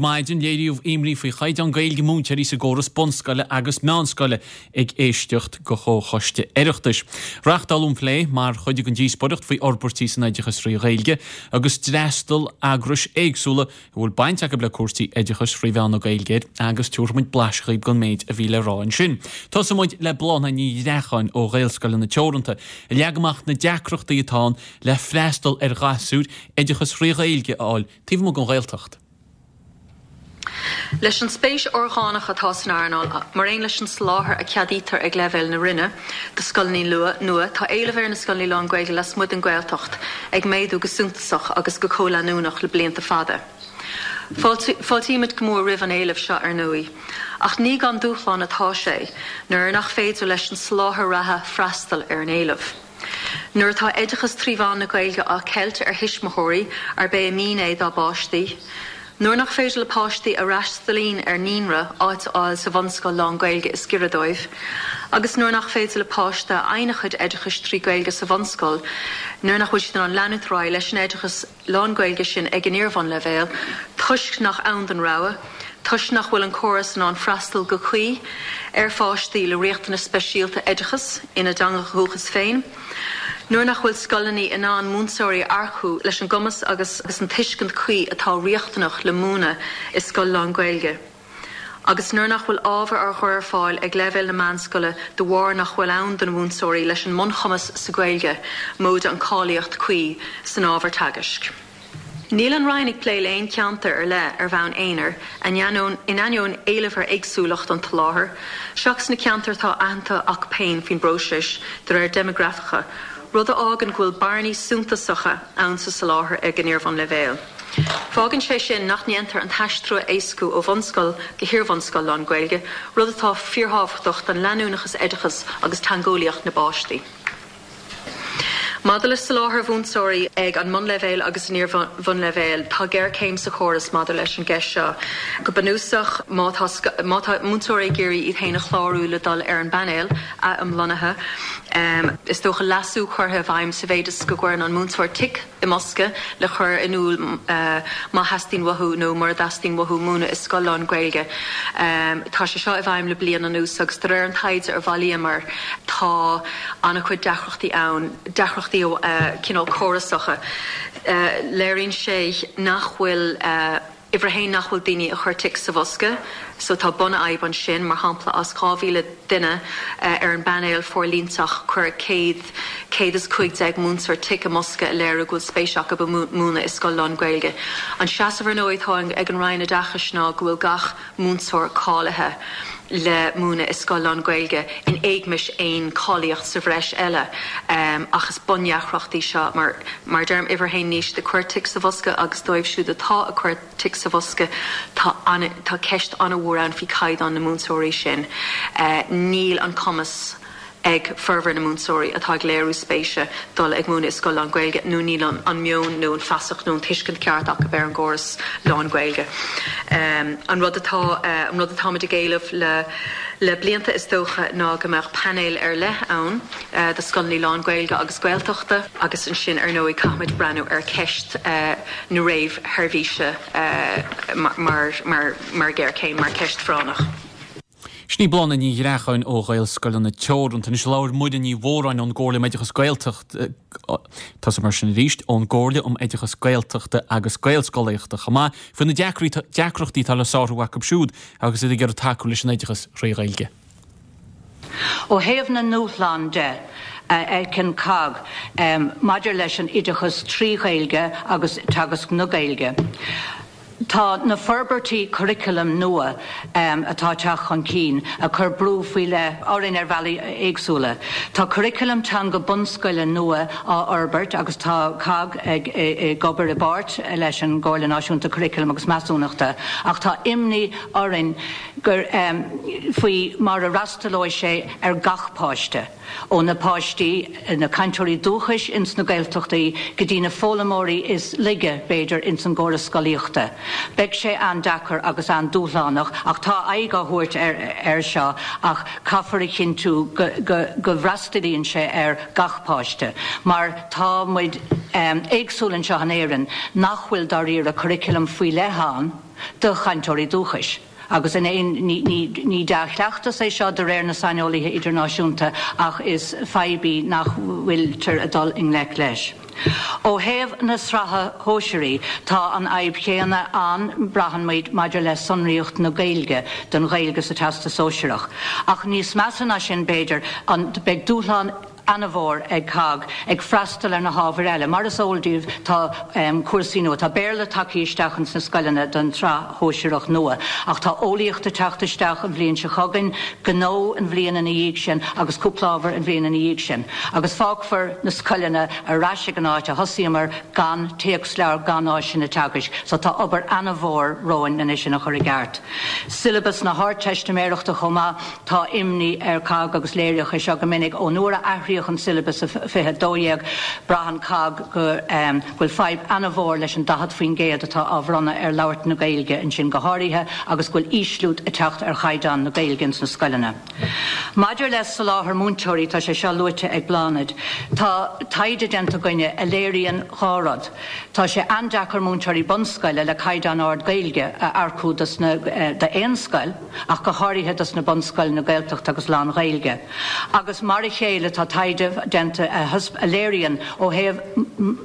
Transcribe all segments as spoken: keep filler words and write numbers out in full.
maidin, léiríodh imní faoi chaighdeán Gaeilge múinteoirí sa gcóras bunscoile agus meánscoile ag éisteacht go Comhchoiste Oireachtais. Reáchtáladh an plé mar chuid den díospóireacht faoi fhorbairtí san oideachas trí Ghaeilge agus d'fhreastail eagrais éagsúla a bhfuil baint acu le cúrsaí oideachais trí mheán na Gaeilge air agus tabharfaimid blaiseadh daoibh den méid a bhí le rá ansin. Tosóimid le Bláthnaid Ní Ghreacháin ó Ghaelscoileanna Teoranta a leag amach na deacrachtaí atá ann le freastal ar ghasúir oideachas trí Ghaeilge a fháil taobh amuigh den Ghaeltacht. Leis an spéis orgánach atá san earnáil, mar aon leis an soláthar a cheadaítear ag leibhéal na Roinne do scoileanna nua, tá éileamh ar na scoileanna lán-Ghaeilge lasmuigh den Ghaeltacht ag méadú go suntasach agus go comhleanúnach le blianta fada. Fáiltímid go mór roimh an éileamh seo ar ndóigh, ach ní gan dúshlán atá sé nuair nach féidir leis an soláthar reatha freastal ar an éileamh. Nuair atá oideachas trí mheán na Gaeilge á cheilt ar thuismitheoirí arb é a mian é dá bpáistí, nuair nach féidir le páistí a fhreastalaíonn ar naíonra áit a fháil sa bhunscoil lán-Ghaeilge is giorra dóibh, agus nuair nach féidir le páiste a fhaigheann a chuid oideachais trí Ghaeilge sa bhunscoil nuair nach bhfuil siad in ann leanúint ar aghaidh leis an oideachas lán-Ghaeilge sin ag an iarbhunleibhéal, toisc nach ann don rogha, toisc nach bhfuil an córas in ann freastal go cuí ar pháistí le riachtanais speisialta oideachais ina dteanga dhúchais féin, nuair nach bhfuil scoileanna in ann múinteoirí a earcú leis an gcumas agus agus an tuiscint chuí atá riachtanach le múineadh i scoil lán-Ghaeilge, agus nuair nach bhfuil ábhar á chur ar fáil ag leibhéal na meánscoile de bharr nach bhfuil ann do na múinteoirí leis an mbunchumas sa Ghaeilge móide an cáilíocht cuí san ábhar teagaisc. Níl an Roinn ag plé le haon cheantar ar leith ar bhonn aonair, in ainneoin éileamh ar éagsúlacht an tsoláthair, seachas na ceantair atá aitheanta acu féin faoin bpróiseas de réir déimeagrafacha, rud a fhágann go bhfuil bearnaí suntasacha ann sa soláthar ag an iarbhunleibhéal. Fágann sé sin nach ndéantar an t-aistriú a éascú ó bhunscoil go hiarbhunscoil lán-Ghaeilge, rud atá fíorthábhachtach don leanúnachas oideachais agus teangeolaíocht na bpáistí. Maidir le soláthar mhúinteoirí ag an mbunleibhéal agus an iarbhunleibhéal, tá géarchéim sa chóras maidir leis an gceist seo. Go bunúsach, má tá má tá múinteoirí ag iarraidh iad féin a chlárú le dul ar an bpainéal athiomlonnaithe, is dócha leasú curtha i bhfeidhm sa mhéid is go gcuireann an múinteoir tic i mbosca le chur in iúl má theastaíonn uathu nó mura dteastaíonn uathu múineadh i scoil lán-Ghaeilge. Tá sé seo i bhfeidhm le bliain anuas agus de réir an taighde a bhailíomar tá an-chuid deacrachtaí ann, deacrachtaí cineál córasacha. Léiríonn sé nach bhfuil uimhir a haon nach bhfuil daoine ag cur tic sa bhosca, so tá bunfhadhb ansin, mar shampla as dhá mhíle duine ar an bpainéal forlíontach chuir céad, céad is cúig déag múinteoir tic i mbosca a léiriú go bhfuil spéis acu i múineadh i scoil lán-Ghaeilge. An seasamh ar ndóigh atá ag an Roinn Oideachais ná go bhfuil gach múinteoir cáilithe le múineadh i scoil lán-Ghaeilge in éagmais aon cháilíocht sa bhreis eile, ach is bundheacracht í seo mar, mar deirim, uimhir a haon níl siad ag cur tic sa bhosca agus dóibh siúd atá ag cur tic sa bhosca tá an, tá ceist an-mhór ann faoi chaighdeán na múinteoirí sin. Níl an cumas ag formhór na múinteoirí atá ag léiriú spéise dul ag múineadh i scoil lán-Ghaeilge nó níl an, an meon nó an feasacht nó an tuiscint ceart acu ar an gcóras lán-Ghaeilge. An rud atá, an rud atáimid ag éileamh le, le blianta is dócha ná go mbeadh painéal ar leith ann do scoileanna lán-Ghaeilge agus Gaeltachta agus ansin ar ndóigh caithfimid breathnú ar cheist na réamhsheirbhíse mar, mar, mar ghéarchéim, mar cheist phráinneach. Sin í Bláthnaid Ní Ghreacháin ó Ghaelscoileanna Teoranta. Anois labhair Muireann Ní Mhóráin ón gComhairle um Oideachas Gaeltacht, Tosóidh mar sin arís, ón gComhairle um Oideachas Gaeltachta agus Gaelscolaíochta chomh maith, faoi na deacrachtaí atá le sárú acu siúd agus iad ag iarraidh tacú leis an oideachas thrí Ghaeilge. Ó thaobh na ndúshlán de a fheiceann COGG maidir leis an oideachas trí Ghaeilge agus teagasc na Gaeilge, Tá na forbairtí curaclaim nua atá ag teacht chun cinn ag cur brú faoi leith orainn ar bhealaí éagsúla. Tá curaclam teanga bunscoile nua á fhorbairt agus tá COGG ag obair i bpáirt leis an gComhairle Náisiúnta Curaclaim agus Measúnachta ach tá imní orainn gur faoi mar a fhreastalóidh sé ar gach páiste. Ó na páistí, na cainteoirí dúchais ins na Gaeltachtaí go dtí na foghlaimeoirí is laige, b'fhéidir, ins an gcóras scolaíochta. Beidh sé an-deacair agus an-dúshlánach ach tá aghaidh á thabhairt air seo ach caithfear a chinntiú go go bhfreastalaíonn sé ar gach páiste mar tá muid éagsúil anseo in Éirinn nach bhfuil dáiríre curriculum faoi leith ann. do chainteoirí dúchais. Agus in aon ní dea-chleachtas é seo de réir na saineolaithe idirnáisiúnta ach is fadhb í nach bhfuiltear ag dul i ngleic leis. Ó thaobh na sraithe sóisearaí tá an fhadhb chéanna ann braitheann muid maidir le sonraíocht na Gaeilge don Ghaeilge sa Teastas Sóisearach. Ach níos measa ná sin b'fhéidir an beidh dúshlán an-mhór ag COGG ag freastal ar na hábhair eile. Mar is eol daoibh tá um, cúrsaí nua, tá Béarla tagtha isteach ins na scoileanna don tsraith shóisearach nua, ach tá eolaíocht ag teacht isteach an bhliain seo chugainn, gnó an bhliain ina dhiaidh sin agus cúpla ábhar an bhliain ina dhiaidh sin. Agus fágfar na scoileanna ar ais ag an áit a thosaíomar gan téacsleabhar gan áiseanna teagaisc, so tá obair an-mhór romhainn anois sin a chur i gceart. Siollabas na hArdteistiméireachta chomh maith tá imní ar COGG agus léiríodh é seo go minic ón uair a athraíodh an siollabas fiche dó dhéag braitheann COGG go bhfuil fadhb an-mhór leis an daichead faoin gcéad atá á bhronnadh ar labhairt na Gaeilge ansin go háirithe agus go bhfuil ísliú ag teacht ar chaighdeán na Gaeilge ins na scoileanna. Maidir le soláthar múinteoirí tá sé seo luaite ag Bláthnaid. Tá taighde déanta againne a léiríonn dhá rud. Tá sé an-deacair múinteoirí bunscoile le caighdeán ard Gaeilge a earcú d'aon scoil ach go háirithe dos na bunscoileanna Gaeltachta agus lán-Ghaeilge. Agus mar a chéile tá taighde déanta a léiríonn ó thaobh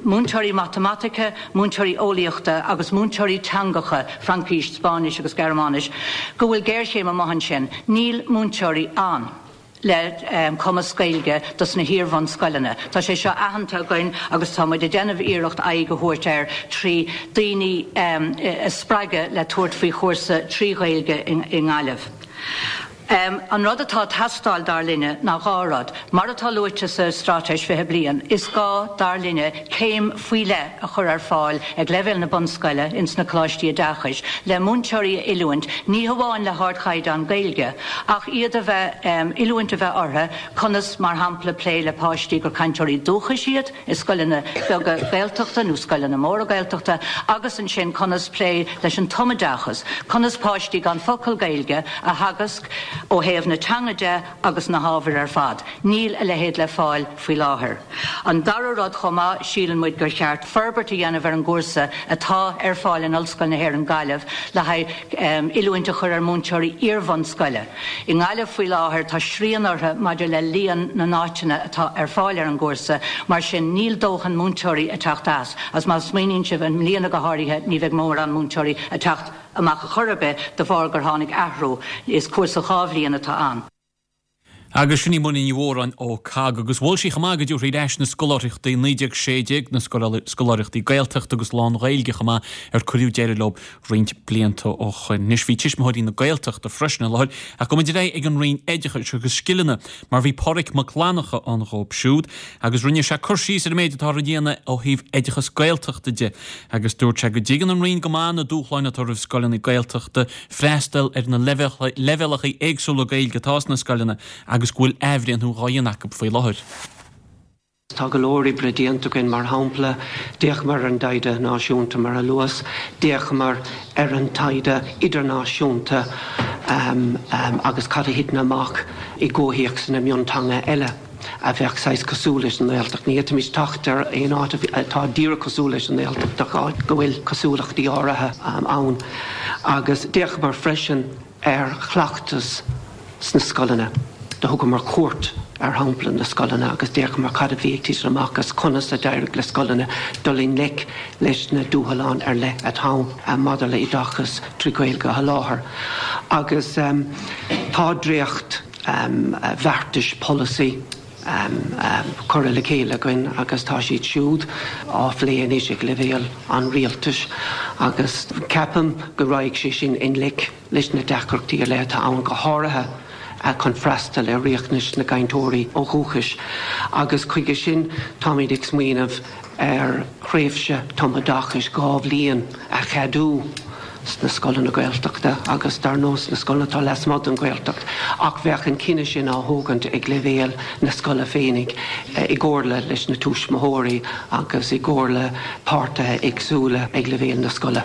múinteoirí matamaitice, múinteoirí eolaíochta agus múinteoirí teangacha, Fraincis, Spáinnis agus Gearmáinis, go bhfuil géarchéim amach ansin, níl múinteoirí ann le um, cumas Gaeilge dos na hiar-bhunscoileanna. Tá sé seo aitheanta againn agus tá muid ag déanamh iarracht aghaidh a thabhairt air trí daoine um, a spreagadh le tabhairt faoi chúrsa trí Ghaeilge i nGaillimh. Um, an rud atá ag teastáil dar linne ná dhá rud, mar atá luaite sa straitéis fiche bliain, is gá dar linne céim faoi leith a chur ar fáil ag leibhéal na bunscoile ins na coláistí oideachais, le múinteoirí a oiliúint, ní hamháin le hardchaighdeán Gaeilge, ach iad a bheith um, oiliúint a bheith orthu conas mar shampla plé le páistí gur cainteoirí dúchais iad i scoileanna beaga Gaeltachta nó scoileanna móra Gaeltachta, agus ansin conas plé leis an tumoideachas, conas páistí gan focal Gaeilge a theagasc ó thaobh na teanga de agus na hábhair ar fad. Níl a leithéid le fáil faoi láthair. An dara rud chomh maith síleann muid gur cheart forbairt a dhéanamh ar an gcúrsa atá ar fáil in Ollscoil na hÉireann Gaillimh le haghaidh um, oiliúint a chur ar múinteoirí iar-bhunscoile. I nGaillimh faoi láthair tá srian orthu maidir le líon na n-áiteanna atá ar fáil ar an gcúrsa, mar sin níl dóthain múinteoirí ag teacht as, as má smaoiníonn sibh i mbliana go háirithe ní bheidh mórán múinteoirí ag teacht amach a chor ar bith de bharr gur tháinig athrú is cúrsa dhá bhliain atá ann. Agus sin í Muireann Ní Mhóráin ó COGG agus mhol sí chomh maith go dtabharfaí ar ais na scoláireachtaí naoi déag sé déag na scoláireachtaí Gaeltachta agus lán-Ghaeilge chomh maith ar cuireadh deireadh leo roinnt blianta ó shin. Anois bhí tuismitheoirí na Gaeltachta freisin i láthair ach go mbeidh ag an Roinn Oideachais agus Scileanna mar bhí Pádraig Mac Fhlannchadha ann dhóibh siúd agus rinne sé cur síos ar an méid atá á dhéanamh ó thaobh oideachas Gaeltachta de agus dúirt sé go dtuigeann an Roinn go maith na dúshláin atá roimh scoileanna Gaeltachta freastal ar na leibhéalacha éagsúla Gaeilge atá sna scoileanna agus go bhfuil athbhreithniú á dhéanamh acu faoi láthair. Tá go leor oibre déanta againn mar shampla, d'fhéachamar ar an dtaighde náisiúnta mar a luas, d'fhéachamar ar an taighde idirnáisiúnta um, um, agus cad a thiteann amach i gcomhthéacs na mionteanga eile a bheadh saghas cosúil leis an nGaeltacht. Ní fhéadfaimis teacht ar aon áit atá díreach cosúil leis an nGaeltacht ach go bhfuil cosúlachtaí áirithe um, ann. Agus d'fhéachamar freisin ar chleachtas sna scoileanna. Do thugamar cuairt ar shampla na scoileanna agus d'fhéachamar cad a bhí ag titim amach agus conas a d'éirigh le scoileanna dul i ngleic leis na dúshláin ar leith atá maidir le oideachas trí Ghaeilge a sholáthar. Agus um, tá dréacht um, bheartais polasaí um, um, curtha le chéile againn agus tá siad siúd á phlé anois ag leibhéal an rialtais agus ceapaim go rachaidh sé sin i ngleic leis na deacrachtaí ar leith atá ann go háirithe chun freastal ar riachtanais na gcainteoirí ó dhúchas. Agus chuige sin táimid ag smaoineamh ar thréimhse tumoideachais dhá bhliain a cheadú sna scoileanna Gaeltachta agus dar ndóigh na scoileanna atá lasmuigh den Ghaeltacht ach bheadh an cinneadh sin á thógaint ag leibhéal na scoile féinig i gcomhairle leis na tuismitheoirí agus i gcomhairle páirtithe éagsúla ag leibhéal na scoile.